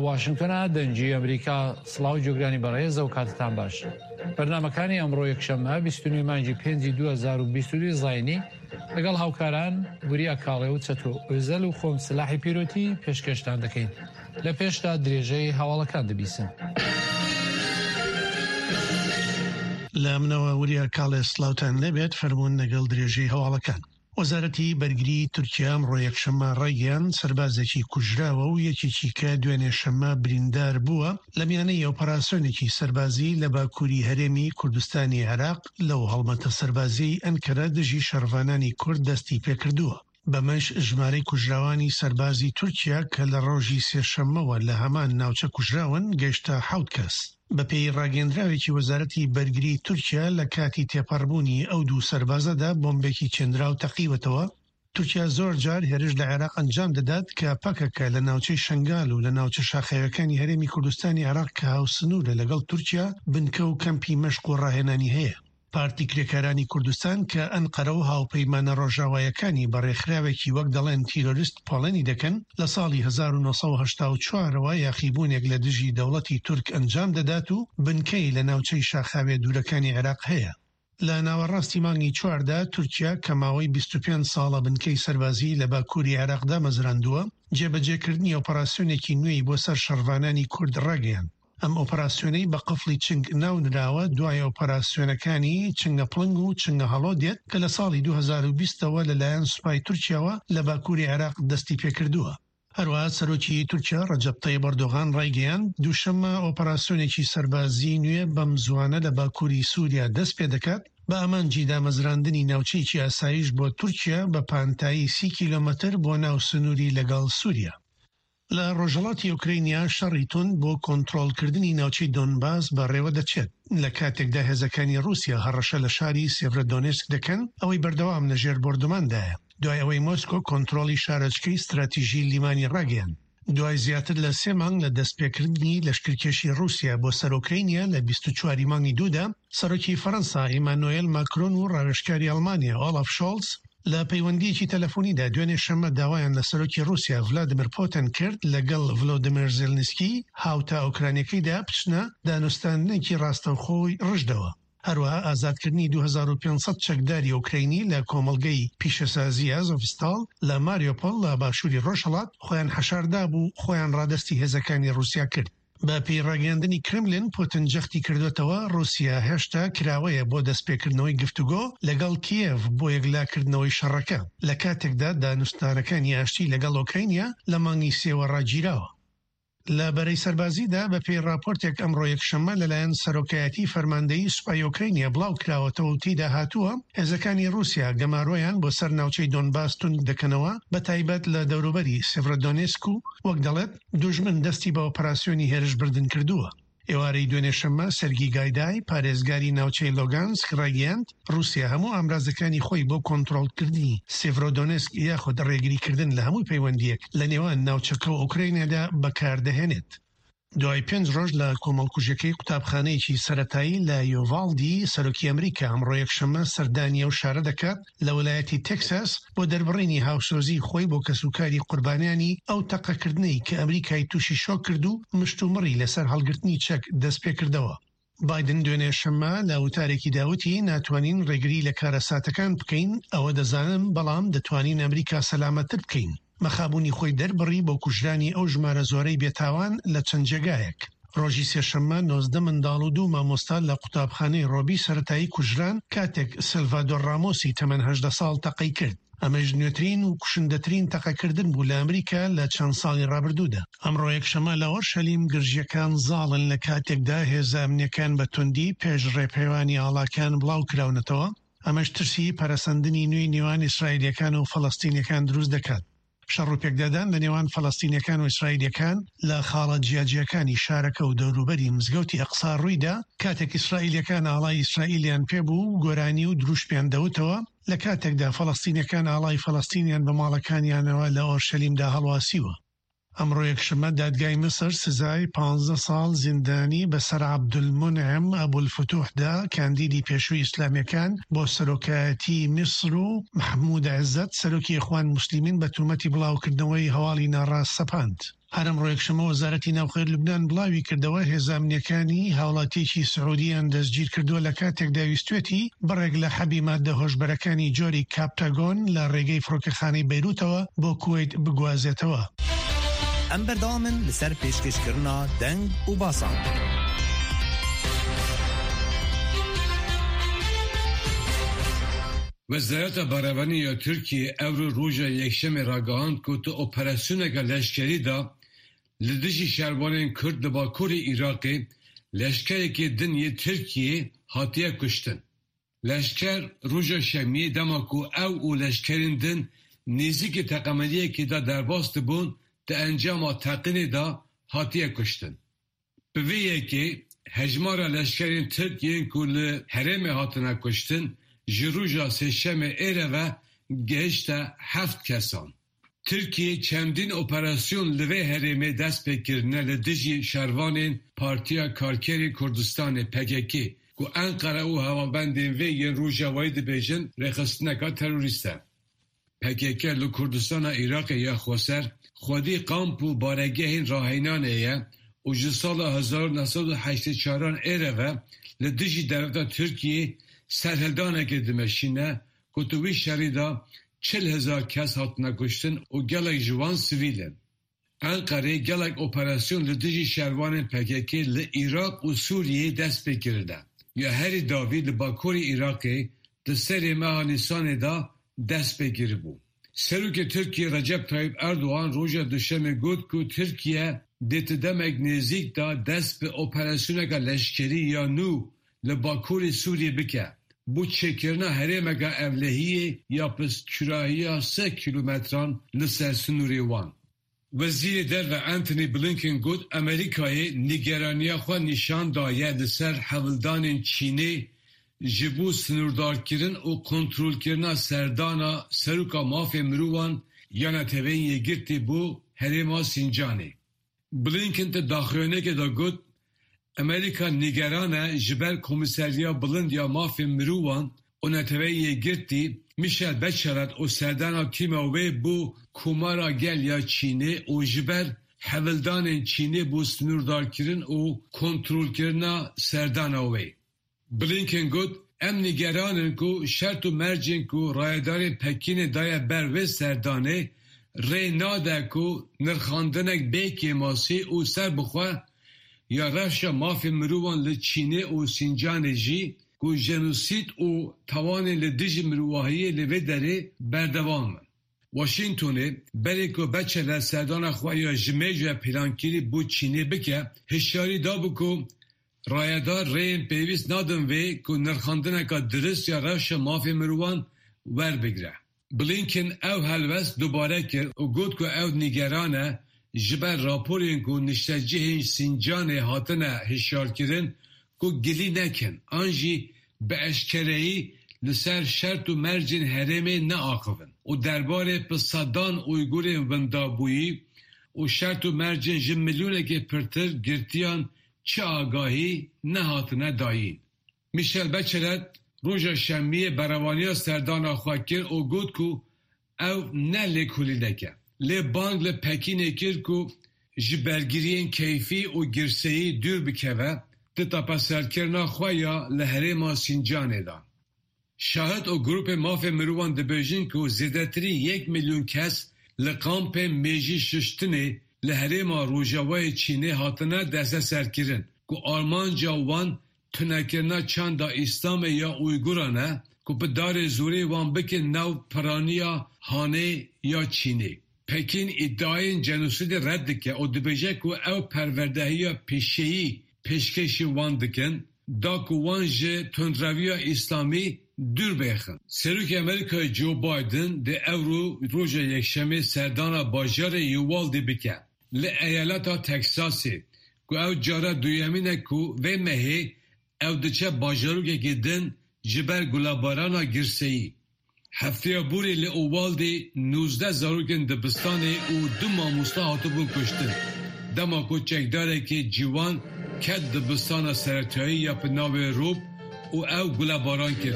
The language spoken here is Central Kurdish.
واشنگتۆنە دەنگی ئەمریکا سڵاو جۆگرانی بەڕێز ئەو کاتتان باش بەرنمەکانی ئەمڕۆ یەکشەممە 29 مانگی 5 2022 زینی لەگەڵ هاوکاران وریا کاڵێ و چەتۆ ئۆزەل و خۆم سلاحی پیرۆتی پێشکەشتان دەکەین لە پێشدا درێژەی هەواڵەکان دەبیسن. لە منەوە وریا کاڵێ سڵاوتان لێبێت فەرموون لەگەڵ درێژەی هەواڵەکان. وەزارەتی بەرگریی تورکیا ئەمڕۆ یەکشەممە ڕایگەیاند، سەربازێکی کوژراوە و یەکێکی کە دوێنێ شەممە بریندار بووە لە میانەی ئۆپەراسیۆنێکی سەربازی لە باکووری هەرێمی کوردستانی عێراق لەو هەڵمەتە سەربازیەی ئەنکەرە دژی شەڕڤانانی کورد دەستی پێکردووە. بەمەش ژمارەی کوژراوانی سەربازی تورکیا کە لە ڕۆژی سێشەممەوە لە هەمان ناوچە کوژراون گەیشتە حەوت کەس. بەپێی ڕاگەیەندراوێکی وەزارەتی بەرگری تورکیا لە کاتی تێپەڕبوونی ئەو دوو سەربازەدا بۆمبێکی چێندراو تەقیوەتەوە. تورکیا زۆر جار هێرش لە عێراق ئەنجام دەدات کە پەکەکە لە ناوچەی شەنگال و لە ناوچە شاخاویەکانی هەرێمی کوردستانی عێراق کە هاوسنوورە لەگەڵ تورکیا بنکە و کەمپی مەشق و ڕاهێنانی هەیە. پارتی کرێکارانی کوردستان کە ئەنقەرە و هاوپەیمانە ڕۆژاوایەکانی بە ڕێکخراوێکی وەک دەڵێن تیرۆریست پۆڵێنی دەکەن، لە ساڵی 1984 ەوە یاخیبوونێک لە دژی دەوڵەتی تورک ئەنجام دەدات و بنکەی لە ناوچەی شاخاویە دوورەکانی عێراق هەیە. لە ناوەڕاستی مانگی چواردا تورکیا کە ماوەی 25 ساڵە بنکەی سەربازیی لە باکووری عێراق دامەزراندووە، جێبەجێکردنی ئۆپەراسیۆنێکی نوێی بۆ سەر شەڕڤانانی کورد ڕاگەیاند. ئەم ئۆپەراسیۆنەی بە قفڵی چنگ ناونراوە، دوای ئۆپەراسیۆنەکانی چنگە پڵنگ و چنگە هەڵۆ دێت کە لە ساڵی 2020 ەوە لەلایەن سوپای تورکیاوە لە باکووری عێراق دەستیپێکردووە. هەروەها سەرۆکی تورکیا ڕەجەب تەیب ئەردۆغان ڕایگەیاند، دووشەممە ئۆپەراسیۆنێکی سەربازیی نوێ بەم زووانە لە باکووری سووریا دەستپێدەکات بە ئامانجی دامەزراندنی ناوچەیەکی ئاسایش بۆ تورکیا بە پانتایی سی کیلۆمەتر بۆ ناو سنووری لەگەڵ سووریا. لە ڕۆژهەڵاتی ئۆکرەینیا شەڕی توند بۆ کۆنترۆڵکردنی ناوچەی دۆنباس بەڕێوەدەچێت، لە کاتێکدا هێزەکانی ڕووسیا هەڕەشە لە شاری سێڤرۆدۆنێسک دەکەن، ئەوەی بەردەوام لە ژێر بۆردوماندایە، دوای ئەوەی مۆسکۆ کۆنترۆڵی شارۆچکەی ستراتیژی لیمانی ڕاگەیاند. دوای زیاتر لە سێ مانگ لە دەستپێکردنی لەشکرکێشی ڕووسیا بۆ سەر ئۆکرەینیا لە 24 ی مانگی دوودا، سەرۆکی فەرەنسا ئیمانۆێل ماکرۆن و ڕاوێژکاری ئەڵمانیا ئۆلاف شۆڵز لە پەیوەندییەکی تەلەفۆنیدا دوێنێ شەممە داوایان لە سەرۆکی ڕووسیا ڤلادیمیر پوتن کرد لەگەڵ ڤلۆدیمێر زێلنسکی هاوتا ئۆکرانیەکەیدا بچنە دانوستاندنێکی ڕاستەوخۆی ڕژدەوە. هەروەها ئازادکردنی 2500 چەکداری ئۆکرەینی لە کۆمەڵگەی پیشەسازی ئازۆڤستاڵ لە ماریۆپۆل لە باشووری ڕۆژهەڵات خۆیان حەشاردابوو خۆیان ڕادەستی هێزەکانی ڕووسیا کرد. بە پێی ڕاگەیاندنی کرملین، پوتن جەختی کردووەتەوە، ڕووسیا هێشتا کراوەیە بۆ دەستپێکردنەوەی گفتوگۆ لەگەڵ کیێڤ بۆ یەکلاکردنەوەی شەڕەکە، لە کاتێکدا دانوستانەکانی ئاشتی لەگەڵ ئۆکرەینیا لە مانگی سێوە ڕاگیراوە. لە بەرەی سەربازیدا، بە پێی ڕاپۆرتێک ئەمڕۆ یەکشەممە لەلایەن سەرۆکایەتی فەرماندەیی سوپای ئۆکرەینیا بڵاوکراوەتەوە و تێیدا هاتووە، هێزەکانی ڕووسیا گەمارۆیان بۆ سەر ناوچەی دۆنباس توند دەکەنەوە، بەتایبەت لە دەوروبەری سێڤرۆدۆنێسک و وەک دەڵێت، دوژمن دەستی بە ئۆپەراسیۆنی هێرشبردن کردووە. ئێوارەی دوێنێ شەممە، سێرگی گایدای، پارێزگاری ناوچەی لوگانسک ڕایگەیاند، ڕووسیا هەموو ئامرازەکانی خۆی بۆ کۆنترۆڵکردنی سێڤرۆدۆنێسک یاخود ڕێگریکردن لە هەموو پەیوەندییەک لە نێوان ناوچەکە و ئۆکرەینادا بەکاردەهێنێت. دوای پێنج ڕۆژ لە کۆمەڵکوژیەکەی قوتابخانەیەکی سەرەتایی لە یۆڤاڵدی، سەرۆکی ئەمریکا ئەمڕۆ یەکشەممە سەردانی ئەو شارە دەکات لە ویلایەتی تێکساس بۆ دەربڕینی هاوسۆزیی خۆی بۆ کەسوکاری قوربانیانی ئەو تەقەکردنەی کە ئەمریکای تووشی شۆک کرد و مشتومڕی لەسەر هەڵگرتنی چەک دەستپێکردەوە. بایدن دوێنێ شەممە لە وتارێکیدا وتی، ناتوانین ڕێگری لە کارەساتەکان بکەین، ئەوە دەزانم، بەڵام دەتوانین ئەمریکا سەلامەتتر بکەین. مەخابوونی خۆی دەربڕی بۆ کوژرانی ئەو ژمارە زۆرەی بێتاوان لە چەند جێگایەک. ڕۆژی سێشەممە 19 منداڵ و دوو مامۆستا لە قوتابخانەی ڕۆبی سەرەتایی کوژران کاتێک سێلڤادۆر ڕامۆسی تەمەن 18 ساڵ تەقەی کرد. ئەمەش نوێترین و کوشندەترین تەقەکردن بوو لە ئەمریکا لە چەند ساڵی ڕابردوودا. ئەمڕۆ یەکشەممە لە ئۆرشەلیم گرژییەکان زاڵن لە کاتێکدا هێزە ئەمنییەکان بە توندی پێش ڕێپێوانی ئاڵاکان بڵاوکراونەتەوە، ئەمەش ترسی پەرەسەندنی نوێی نێوان ئیسرائیلییەکان و فەلەستینییەکان دروست دەکات. شەڕ و پێکدادان لە نێوان فەلەستینییەکان و ئیسرائیلییەکان لە خاڵە جیاجیاکانی شارەکە و دەوروبەری مزگەوتی ئەقسا ڕوویدا، کاتێک ئیسرائیلییەکان ئاڵای ئیسرائیلیان پێبوو و گۆرانی و دروشمیان دەوتەوە، لە کاتێکدا فەلەستینییەکان ئاڵای فەلەستینیان بە ماڵەکانیانەوە لە ئۆرشەلیمدا هەڵواسیوە. ئەمڕۆ یەکشەممە دادگای میسر سزای 15 ساڵ زیندانی بەسەر عەبدولمونعم ئەبولفتوحدا کاندیدی پێشووی ئیسلامییەکان بۆ سەرۆکایەتی میسر و مەحمود عزەت سەرۆکی ئیخوان موسلیمین بە تۆمەتی بڵاوکردنەوەی هەواڵی ناڕاست سەپاند. هەر ئەمڕۆ یەکشەممە وەزارەتی ناوخۆی لوبنان بڵاوی کردەوە، هێزە ئەمنییەکانی هاوڵاتییەکی سعودییان دەستگیرکردووە لە کاتێکدا ویستوێتی بڕێک لە حەبی ماددە هۆشبەرەکانی جۆری کاپتاگۆن لە ڕێگەی فڕۆکەخانەی بەیروتەوە بۆ کوەیت بگوازێتەوە. ئەم بەردەوامن لەسەر پێشکەشکردنا دەنگ و باسان. Wezareta Berevanî ya Tirkiyê ewro roja Yekşemê ragihand ku di operasyoneke leşkerî de li dijî şervanên Kurd li bakurê Iraqê leşkerekî din yê Tirkiyê hatiye kuştin. Leşker roja Şemiyê dema ku ew û leşkerên din nêzîkî teqemeniyekê de derbas dibûn di encama teqînê de hatiye kuştin. Bi vê yekê hejmara leşkerên Tirk yên ku li herêmê hatine kuştin ji roja Sêşemê êre ve gihişte heft kesan. Tirkiyê çendîn operasyon li vê herêmê dest pê kirine li dijî şervanên Partiya Karkerên Kurdistanê, pkk, ku Enqere û hevalbendên vê yên Rojavayî dibêjin rêxistineka terorîst e. Pkk li Kurdistana Iraqê ya xweser xwedî kamp û baregehên rahênanê ye û ji sala 1984 an êre ve li dijî dewleta Tirkiyê serhildanekê dimeşîne ku di wî şerî de 40,000 kes hatine kuştin û gelek ji wan sivîl in. Enqerê gelek operasyon li dijî şervanên pkk li Iraq û Sûriyeyê dest pê kirine. Ya herî dawî li bakurê Iraqê di serê meha Nîsanê de dest pê kiribû. Serokê Tirkiyê Recep Tayyip Erdogan roja Duşemê got ku Tirkiye dê di demek nêzîk de dest bi operasyoneke leşkerî ya nû li bakurê Sûriyê bike bo çêkirina herêmeke ewlehiyê ya bi kûrahiya sê kîlometran li ser sinorê wan. Wezîrê Derve Antony Blinken got Amerîkayê nîgeraniya xwe nîşan daye li ser hewldanên Çînê ji bo sinordarkirin û kontrolkirina serdana Seroka Mafê Mirovan ya Neteweyên Yekgirtî bo herêma Sîncanê. Blinken di daxuyaniyekê de got, Amerîka nîgeran e ji ber Komîseriya Bilind ya Mafên Mirovan û Neteweyên Yekgirtî Michelle Bachelet û serdana tîma wê bo Komara Gel ya Çînê û ji ber hewldanên Çînê bo sinûrdarkirin û kontrolkirina serdana wê. Blinken got, Em nîgeran in ku şert û mercên ku rayedarên Pekînê daye ber vê serdanê rê nade ku nirxandinek bê kêmasî û serbixwe ya rewşa mafê mirovan li Çînê û Sîncanê jî ku jenosîd û tawanên li dijî mirovahiyê li vê derê berdewam in. Washingtonê berê ku Bachelet serdana xwe ya ji mêj ve plankirî bo Çînê bike, hişyarî dabû ku rayedar rêyên pêwîst nadin vê ku nirxandineke dirist ya rewşa mafê mirovan werbigire. Blinken ew helwest dubare kir û got ku ew nîgeran e ji ber raporên ku niştecihên Sîncanê hatine hişyarkirin ku gilî nekin an jî bi eşkereyî li ser şert û mercên herêmê neaxivin û derbarê bi sedan Uygurên windabûyî û şert û mercên ji milyonekê pirtir girtiyan çi agahî nehatine dayîn. Michelle Bachelet roja Şemiyê berevaniya serdana xwe kir û got ku Ew ne lêkolînek e. Lê bang li Pekînê kir ku ji bergiriyên keyfî û girseyî dûr bikeve di tepeserkirina xwe ya li herêma Sîncanê de. Şahid û grûpên mafê mirovan dibêjin ku zêdetirî yek milyon kes li kampên mêjî şuştinê li herêma Rojavayê Çînê hatine desteserkirin ku armanca wan Tunekirina çanda Îslamê ya Uyguran e ku bi darê zorê wan bikin nav piraniya Hanê ya Çînê. Pekîn îdiayên jenosîdê red dike û dibêje ku ew perwerdehiya pîşeyî pêşkêşî wan dikin da ku wan ji tundreviya Îslamî dûr bêxin. Serokê Amerîkayê Joe Biden dê ewro roja Yekşemê serdana bajarê Uvalde bike. Li eyaleta Teksasê ku ew cara duyemîn e ku vê mehê ew diçe bajarokekî din ji ber gulebarana girseyî. Hefteya borî li Uvalde 19 zarokên dibistanê û du mamosta hatibûn kuştin dema ku çekdarekî ciwan ket dibistana seretayî ya bi navê Robb û ew gulebaran kir.